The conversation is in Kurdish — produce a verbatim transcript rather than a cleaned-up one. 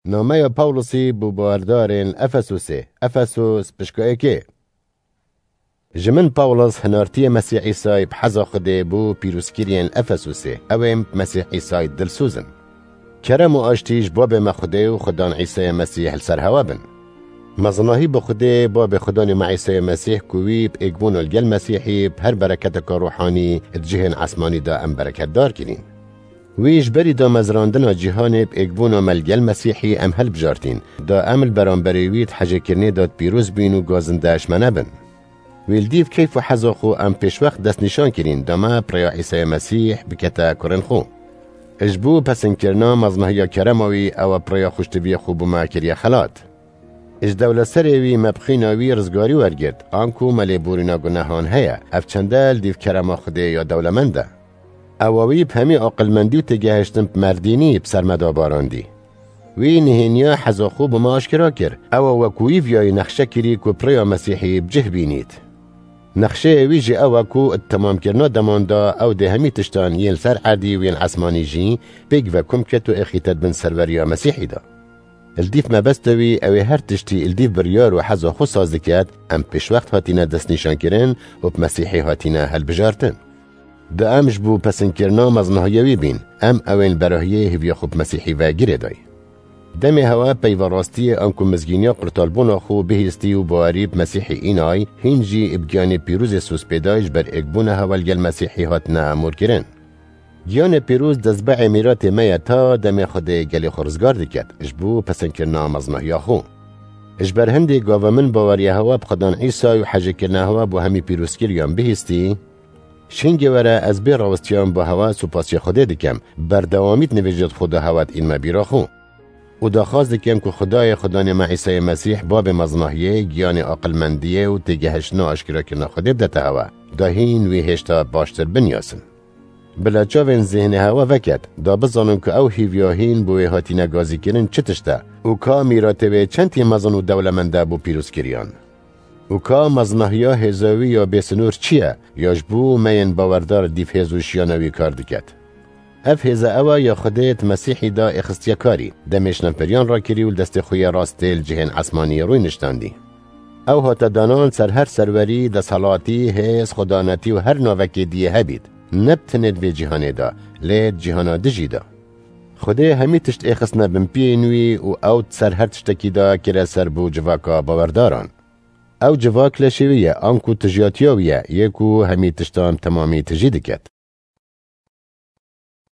Nameya Pawlusî bo bawerdarên Efesûsê. Efesus pişka êkê. Ji min Pawlus hinartiyê Mesîh Îsayî bi heza Xwedê bo pîrozkiriyên Efesûsê, ew ên bi Mesîh Îsayî dilsoz in. Kerem û aştî ji Babê me Xwedê û Xudan Îsayê Mesîh li ser hewe bin. Mezinahî bi Xwedê, Babê Xudanê me Îsayê Mesîh, ku wî bi êkbûna li gel Mesîhî bi her bereketeka ruhanî di cihên esmanî de em bereketdar kirîn. Wî ji berî damezrandina cîhanê bi êkbûna me li gel Mesîhî em hilbijartîn, da em li beramberê wî di hejêkirinê de pîroz bîn û gazinde ji me nebin. Wî li dîv keyf û heza xwe em pêşwext destnîşan kirîn, da me bi rêya Îsayê Mesîh bikete kurên xwe. Ji bo pesinkirina mezinahiya kerema wî, ew e bi rêya xweştiviyê xwe bo me kiriye xelat. Ji dewleserê wî me bi xîna wî rizgarî wergirt, anku me lêborîna gunehan heye, ev çende li dîv kerema Xwedê ya dewlemend e. Ewa wî bi hemî aqilmendî û têgehiştin bi merdînî bi ser me de barandî. Wî nihêniya heza xwe bi me aşkera kir. Ewa wekû wî viyayî nexşe kirî ku bi rêya Mesîhî bi cih bînît. Nexşeyê wî jî ew e ku di temamkirina deman de ew dê hemî tiştan yên li ser erdî û yên esmanî jî pêk ve kom ket û êxîte di bin serweriya Mesîhî de. Li dîv mebesta wî ew ê her tiştî li dîv biryar û heza xwe saz diket, em pêşwext hatine destnîşankirin û bi Mesîhî hatine hilbijartin. Da em ji bo pesinkirina mezinahiya wî bîn, em ew ên berahiyê hêviya xwe bi Mesîhî ve girêdayî. Demê hewe peyva rastiyê anku mizgîniya qurtalbûna xwe bihîstî û bawerî bi Mesîhî înay, hîn jî bi giyanê pîrozê sozpêday ji ber êkbûna hewe li gel Mesîhî hatine amûrkirin. Giyanê pîroz destbehê mîratê me ye ta demê Xwedê gelê xwe rizgar diket, ji bo pesinkirina mezinahiya xwe. Ji ber hindê gava min baweriya hewe bi Xudan Îsay û hejêkirina hewe bo hemî pîrozkiriyan bihîstî, ji hingê were ez bê rawistiyan bo hewe supasiya Xwedê dikem, berdewamî di nivêjê xwe de hewe diînme bîra xwe. Û daxwaz dikim ku Xwedayê Xudanê me Îsayê Mesîh, Babê mezinahiyê, giyanê aqilmendiyê û têgehiştina aşkirakirina Xwedê bidete hewe, da hîn wî hêşta baştir binyasin. Bila çavên zêhnê hewe veket, da bizanin ku ew hîviya hîn bo wê hatine gazîkirin çi tişt e û ka mîratê wê çendî mezin û dewlemend e bo pîrozkiriyan. Û ka mezinahiya hêza wî ya bêsinor çi ye, ya ji bo me yên bawerdar dîv hêz û şiyana wî kar diket. Ev hêze ew e ya Xwedê di Mesîhî de êxistiye karî, demê şinefberiyan rakirî û li destê xwe yê rastê li cihên esmanî rûy niştandî. Ew hate danan ser her serwerî, desthilatî, hêz, xwedanetî û her navekê diyê hebît, ne bi tenê di vê cîhanê de, lê di cîhana dijî de. Xwedê hemî tişt êxistine bin piyên wî û ew di ser her tiştekî de kire ser bo civaka bawerdaran. Ew civak leşê wî ye, anku tijiyatiya wî ye, yê ku hemî tiştan temamî tijî diket.